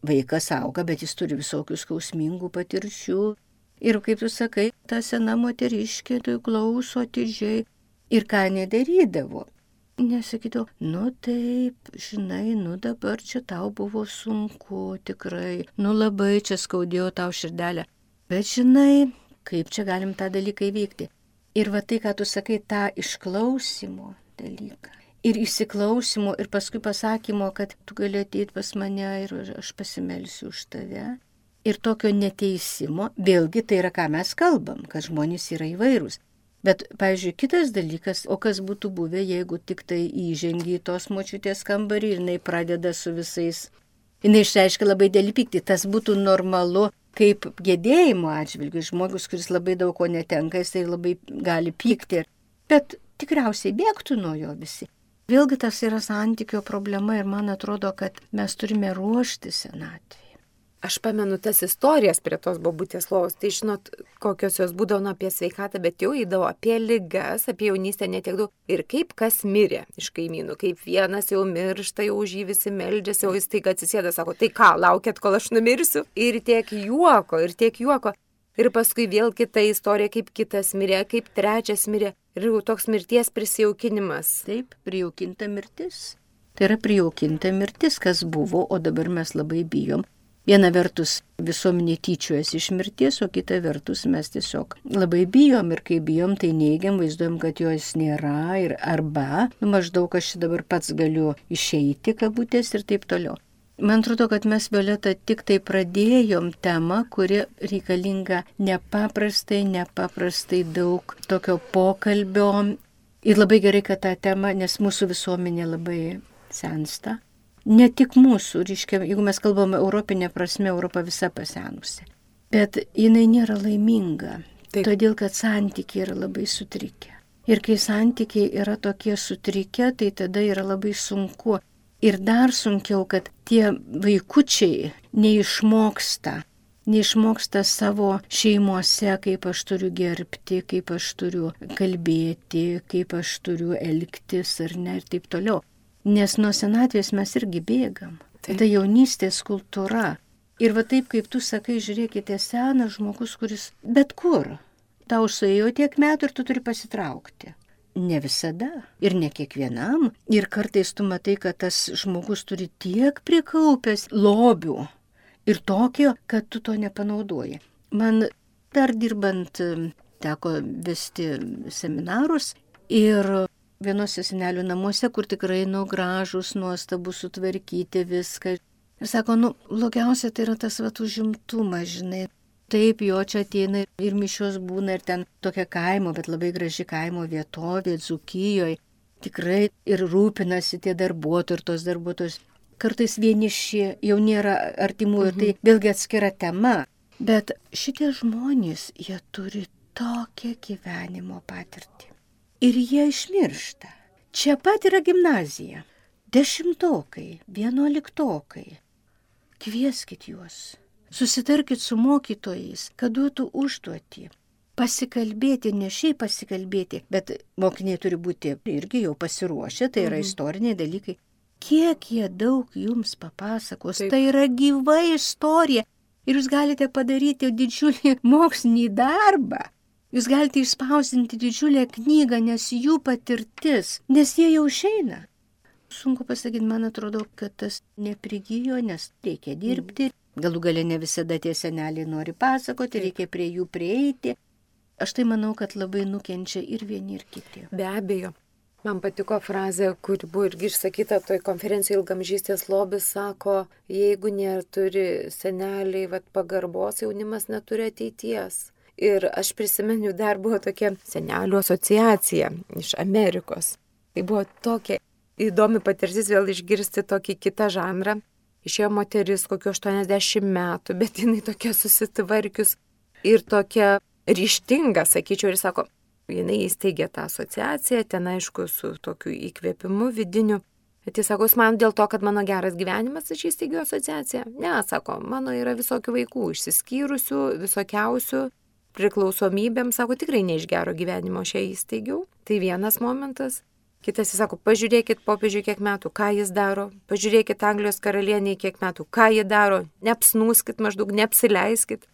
vaikas auga, bet jis turi visokių skausmingų patirčių. Ir kaip tu sakai, ta sena moteriškė tai klauso atidžiai. Ir ką nedarydavo? Nesakydavo, nu taip, žinai, nu dabar čia tau buvo sunku tikrai, nu labai čia skaudėjo tau širdelę. Bet žinai, kaip čia galim tą dalyką įveikti. Ir va tai, ką tu sakai, tą išklausimo dalyką. Ir įsiklausimo, ir paskui pasakymo, kad tu gali ateiti pas mane ir aš pasimelsiu už tave. Ir tokio neteisimo, vėlgi tai yra, ką mes kalbam, kad žmonės yra įvairūs. Bet, pavyzdžiui, kitas dalykas, o kas būtų buvę, jeigu tik tai įžengi į tos močiutės kambarį ir jinai pradeda su visais, jinai išreiškia labai dėlį pyktį, tas būtų normalu kaip gedėjimo atžvilgiu, žmogus, kuris labai daug ko netenka, jisai labai gali pykti, bet tikriausiai bėgtų nuo jo visi. Vėlgi tas yra santykio problema ir man atrodo, kad mes turime ruošti senatvėje. Aš pamenu tas istorijas prie tos bobutės lovos, tai žinot, kokios jos būdavo nu, apie sveikatą, bet jau eidavo apie ligas, apie jaunystę netiek daug. Ir kaip kas mirė iš kaimynų, kaip vienas jau miršta, jau už jį visi meldžiasi, o jis taiga atsisėda, sako, tai ką, laukiat, kol aš numirsiu? Ir tiek juoko, ir tiek juoko. Ir paskui vėl kita istorija, kaip kitas mirė, kaip trečias mirė. Ir jau toks mirties prisijaukinimas. Taip, prijaukinta mirtis. Tai yra prijaukinta mirtis, kas buvo, o dabar mes labai bijom. Viena vertus visuomenė tyčiojasi iš mirties, o kita vertus mes tiesiog labai bijom ir kai bijom, tai neigiam, vaizduojam, kad jos nėra ir arba, nu, maždaug aš dabar pats galiu išeiti kabutės ir taip toliau. Man atrodo, kad mes, Violeta, tik tai pradėjom temą, kuri reikalinga nepaprastai, nepaprastai daug tokio pokalbio. Ir labai gerai, kad tą temą, nes mūsų visuomenė labai sensta. Ne tik mūsų, reiškia, jeigu mes kalbame europinė prasme, Europa visa pasenusi. Bet jinai nėra laiminga, Taip. Todėl kad santykiai yra labai sutrikę. Ir kai santykiai yra tokie sutrikę, tai tada yra labai sunku. Ir dar sunkiau, kad tie vaikučiai neišmoksta, neišmoksta savo šeimose, kaip aš turiu gerbti, kaip aš turiu kalbėti, kaip aš turiu elgtis ar ne ir taip toliau. Nes nuo senatvės mes irgi bėgam. Taip. Tai jaunystės kultūra. Ir va taip, kaip tu sakai, žiūrėkite, senas žmogus, kuris bet kur. Tau suėjo tiek metų ir tu turi pasitraukti. Ne visada ir ne kiekvienam. Ir kartais tu matai, kad tas žmogus turi tiek prikaupęs lobių ir tokio, kad tu to nepanaudoji. Man dar dirbant teko vesti seminarus ir vienose senelių namuose, kur tikrai nu gražus, nuostabus, sutvarkyti viską. Ir sako, nu, blogiausia tai yra tas vat užimtumas, žinai. Taip, jo čia ateina ir mišios būna ir ten tokia kaimo, bet labai graži kaimo vietovė, Dzūkijoje. Tikrai ir rūpinasi tie darbuotojai ir tos darbuotojus. Kartais vieniši, jau nėra artimų ir tai vėlgi atskira tema. Bet šitie žmonės, jie turi tokią gyvenimo patirtį. Ir jie išmiršta. Čia pat yra gimnazija. Dešimtokai, vienuoliktokai. Kvieskit juos. Susitarkit su mokytojais, kad duotų užduotį. Pasikalbėti, ne šiaip pasikalbėti, bet mokiniai turi būti irgi jau pasiruošę, tai yra mhm. istoriniai dalykai. Kiek jie daug jums papasakos, Taip. Tai yra gyva istorija. Ir jūs galite padaryti didžiulį mokslinį darbą. Jūs galite išspausinti didžiulę knygą, nes jų patirtis, nes jie jau išeina. Sunku pasakyti, man atrodo, kad tas neprigijo, nes reikia dirbti. Galų gale ne visada tie seneliai nori pasakoti, reikia prie jų prieiti. Aš tai manau, kad labai nukenčia ir vieni, ir kiti. Be abejo. Man patiko frazė, kuri buvo irgi išsakyta toj konferencijoje Ilgamžystės lobis, sako, jeigu neturi seneliai vat, pagarbos, jaunimas neturi ateities. Ir aš prisimenu, dar buvo tokia senelių asociacija iš Amerikos. Tai buvo tokia įdomi patirtis vėl išgirsti tokį kitą žanrą. Išėjo moteris kokiu aštuoniasdešimt metų, bet jinai tokia susitvarkius ir tokia ryštinga, sakyčiau, ir sako, jinai įsteigė tą asociaciją, ten aišku su tokiu įkvėpimu vidiniu. Bet jis sako, jūs man dėl to, kad mano geras gyvenimas, aš įsteigiu asociaciją. Ne, sako, mano yra visokių vaikų, išsiskyrusių, visokiausių, priklausomybėm, sako, tikrai ne iš gero gyvenimo šią įsteigiau. Tai vienas momentas. Kitas jis sako, pažiūrėkit popiežiui kiek metų, ką jis daro, pažiūrėkit Anglijos karalieniai kiek metų, ką jie daro, neapsnūskit maždaug, neapsileiskit.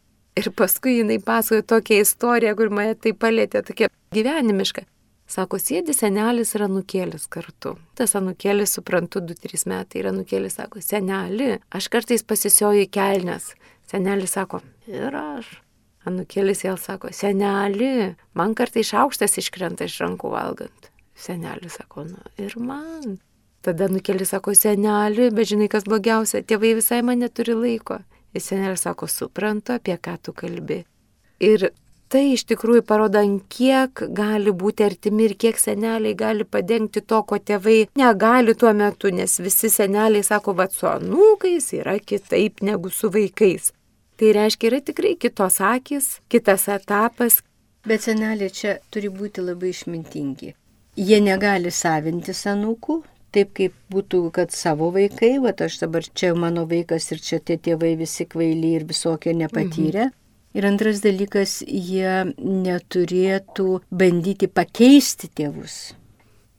Ir paskui jinai pasakojo tokią istoriją, kur mane tai palėtė, tokia gyvenimiška. Sako, sėdi senelis ir anūkėlis kartu. Tas anūkėlis, suprantu, du trys metai ir anūkėlis sako, seneli, aš kartais pasisioju į kelnes. Senelis sako, ir aš. Anūkėlis vėl sako, seneli, man kartais šaukštas iškrenta iš rankų valgant. Senelis sako, nu ir man. Tada anūkėlis sako, seneli, bet žinai kas blogiausia, tėvai visai man neturi laiko. Ir senelis sako, suprantu, apie ką tu kalbi. Ir tai iš tikrųjų parodo, kiek gali būti artimi ir kiek seneliai gali padengti to, ko tėvai negali tuo metu, nes visi seneliai sako, va su anūkais yra kitaip negu su vaikais. Tai reiškia, yra tikrai kitos akis, kitas etapas. Bet seneliai čia turi būti labai išmintingi. Jie negali savintis anūkų, taip kaip būtų, kad savo vaikai, va aš dabar čia mano vaikas ir čia tie tėvai visi kvaili ir visokio nepatyrę. Mhm. Ir antras dalykas, jie neturėtų bandyti pakeisti tėvus.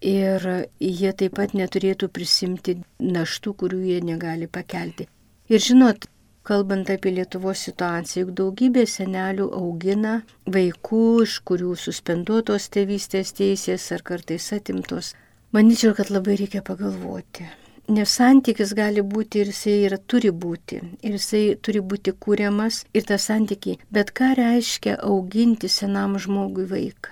Ir jie taip pat neturėtų prisimti naštų, kurių jie negali pakelti. Ir žinot, kalbant apie Lietuvos situaciją, juk daugybė senelių augina vaikų, iš kurių suspenduotos tėvystės teisės ar kartais atimtos. Manyčiau, kad labai reikia pagalvoti. Nes santykis gali būti ir jisai yra, turi būti. Ir jisai turi būti kūriamas ir tas santykiai. Bet ką reiškia auginti senam žmogui vaiką?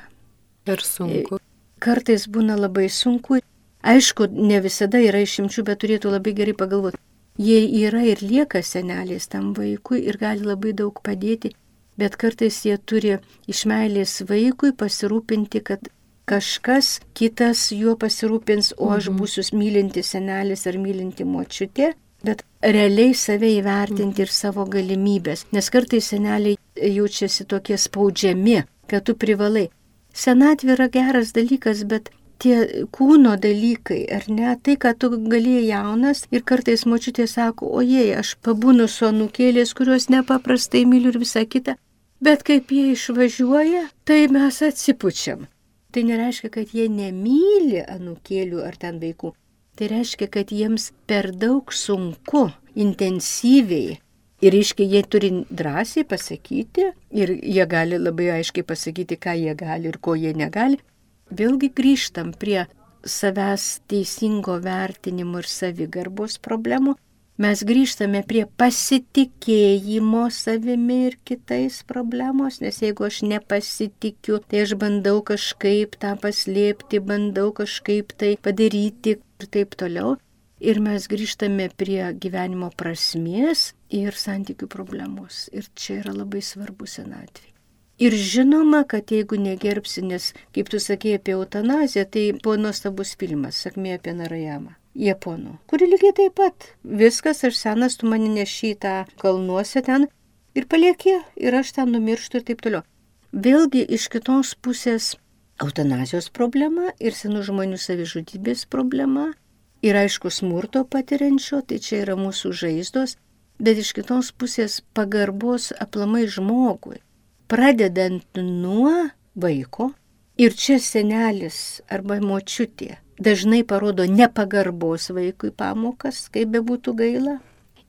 Per sunku. Kartais būna labai sunku. Aišku, ne visada yra išimčių, bet turėtų labai gerai pagalvoti. Jie yra ir lieka seneliais tam vaikui ir gali labai daug padėti. Bet kartais jie turi iš meilės vaikui pasirūpinti, kad kažkas kitas juo pasirūpins, o aš būsiu mylinti senelis ar mylinti močiutė, bet realiai save įvertinti ir savo galimybės. Nes kartais seneliai jaučiasi tokie spaudžiami, kad tu privalai. Senatvė yra geras dalykas, bet tie kūno dalykai, ar ne, tai, kad tu galėjai jaunas ir kartais močiutė sako, ojei, aš pabūnu su anūkėlės, kurios nepaprastai myliu ir visą kitą, bet kaip jie išvažiuoja, tai mes atsipučiam. Tai nereiškia, kad jie nemyli anūkėlių ar ten vaikų. Tai reiškia, kad jiems per daug sunku, intensyviai. Ir reiškia, jie turi drąsiai pasakyti ir jie gali labai aiškiai pasakyti, ką jie gali ir ko jie negali. Vėlgi grįžtam prie savęs teisingo vertinimo ir savigarbos problemų. Mes grįžtame prie pasitikėjimo savimi ir kitais problemos, nes jeigu aš nepasitikiu, tai aš bandau kažkaip tą paslėpti, bandau kažkaip tai padaryti ir taip toliau. Ir mes grįžtame prie gyvenimo prasmės ir santykių problemos. Ir čia yra labai svarbu senatvė. Ir žinoma, kad jeigu negerbsi, nes, kaip tu sakėjai apie eutanaziją, tai buvo nuostabus filmas, Sakmė apie Narayamą, japonų, kuri lygiai taip pat. Viskas, aš senas, tu mane neši tą kalnuose ten ir palieki, ir aš ten numirštu ir taip toliau. Vėlgi iš kitos pusės eutanazijos problema ir senų žmonių savižudybės problema ir aišku smurto patiriančio, tai čia yra mūsų žaizdos, bet iš kitos pusės pagarbos aplamai žmogui. Pradedant nuo vaiko, ir čia senelis arba močiutė dažnai parodo nepagarbos vaikui pamokas, kaip bebūtų gaila,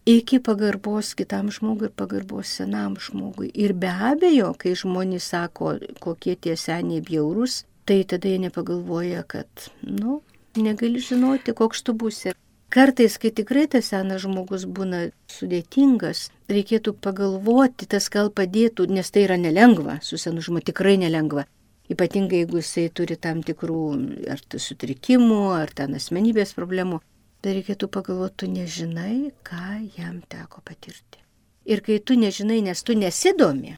iki pagarbos kitam žmogui ir pagarbos senam žmogui. Ir be abejo, kai žmonės sako, kokie tie seniai bjaurūs, tai tada jie nepagalvoja, kad, nu, negali žinoti, koks tu būsi. Kartais, kai tikrai tas senas žmogus būna sudėtingas, reikėtų pagalvoti, tas gal padėtų, nes tai yra nelengva, su senu žmogu tikrai nelengva. Ypatingai, jeigu jisai turi tam tikrų ar sutrikimų, ar ten asmenybės problemų, tai reikėtų pagalvoti, tu nežinai, ką jam teko patirti. Ir kai tu nežinai, nes tu nesidomi,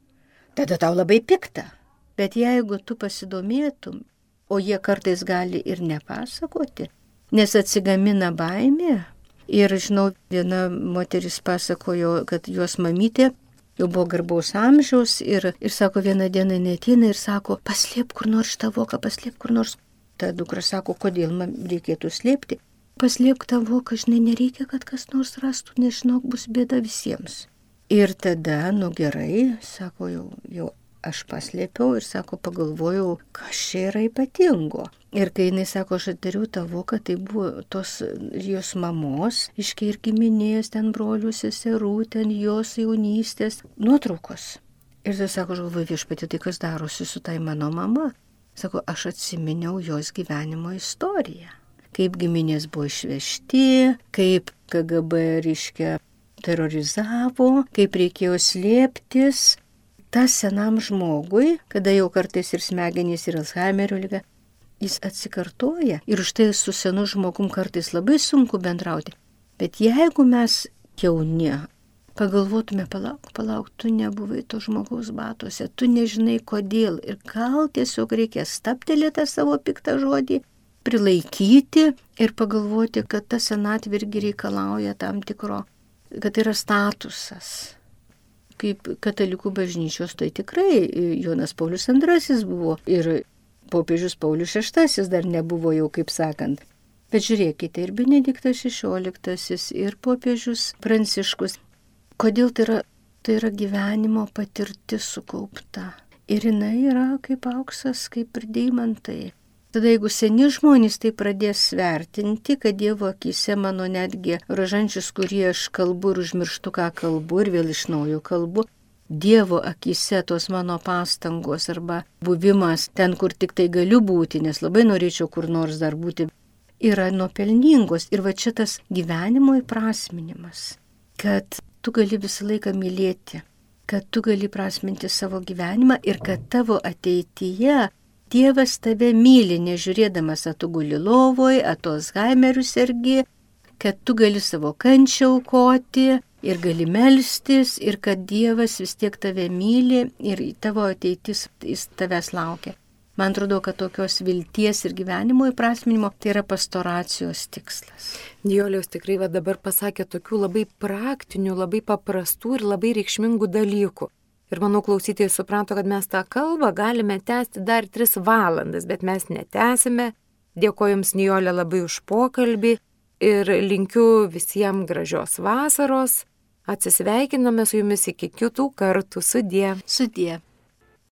tada tau labai pikta. Bet jeigu tu pasidomėtum, o jie kartais gali ir nepasakoti, nes atsigamina baimė. Ir žinau, viena moteris pasakojo, kad jos mamytė jau buvo garbaus amžiaus ir, ir sako, vieną dieną neateina ir sako, paslėp kur nors tą voką, paslėp kur nors. Ta dukra sako, kodėl man reikėtų slėpti. Paslėpk tą voką, žinai, nereikia, kad kas nors rastų, nežinau, bus bėda visiems. Ir tada, nu gerai, sako, jau, jau aš paslėpiau ir sako, pagalvojau, kas čia yra ypatingo. Ir kai jinai sako, aš atdariau tą voką, tai buvo tos jos mamos, iškiai ir giminės, ten brolių, seserų, ten jos jaunystės nuotraukos. Ir tai sako, žalvoju, viešpatie, tai kas darosi su tai mano mama? Sako, aš atsiminiau jos gyvenimo istoriją. Kaip giminės buvo išvežti, kaip K G B reiškia terorizavo, kaip reikėjo slėptis. Tas senam žmogui, kada jau kartais ir smegenys ir Alzheimerio liga, jis atsikartoja ir už tai su senu žmogum kartais labai sunku bendrauti. Bet jeigu mes jauni, pagalvotume, palauk, palauk, tu nebuvai to žmogaus batuose, tu nežinai kodėl ir gal tiesiog reikia stabtelėti tą savo piktą žodį, prilaikyti ir pagalvoti, kad ta senatvė irgi reikalauja tam tikro, kad yra statusas. Kaip katalikų bažnyčios, tai tikrai Jonas Paulius antrasis buvo ir popiežius Paulius šeštasis dar nebuvo jau, kaip sakant. Bet žiūrėkite, ir Benediktas šešioliktasis, ir popiežius Pranciškus. Kodėl tai yra, tai yra gyvenimo patirtis sukaupta. Ir jinai yra kaip auksas, kaip ir deimantai. Tada jeigu seni žmonės tai pradės vertinti, kad Dievo akyse mano netgi rožančius, kurie aš kalbu ir užmirštu, ką kalbu ir vėl iš naujo kalbu, Dievo akyse tos mano pastangos arba buvimas ten, kur tik tai galiu būti, nes labai norėčiau kur nors dar būti, yra nuopelningos. Ir va čia tas gyvenimo įprasminimas, kad tu gali visą laiką mylėti, kad tu gali prasminti savo gyvenimą ir kad tavo ateityje Dievas tave myli, nežiūrėdamas, ar tu guli lovoj, ar tu Alzheimeriu sergi, kad tu gali savo kančią aukoti ir gali melstis ir kad Dievas vis tiek tave myli ir tavo ateitis jis tavęs laukia. Man atrodo, kad tokios vilties ir gyvenimo įprasminimo tai yra pastoracijos tikslas. Nijolė tikrai va dabar pasakė tokių labai praktinių, labai paprastų ir labai reikšmingų dalykų. Ir manau, klausytojai suprato, kad mes tą kalbą galime tęsti dar tris valandas, bet mes netęsime. Dėkoju Jums, Nijolė, labai už pokalbį ir linkiu visiems gražios vasaros. Atsisveikiname su Jumis iki kitų kartų. Sudie. Sudie.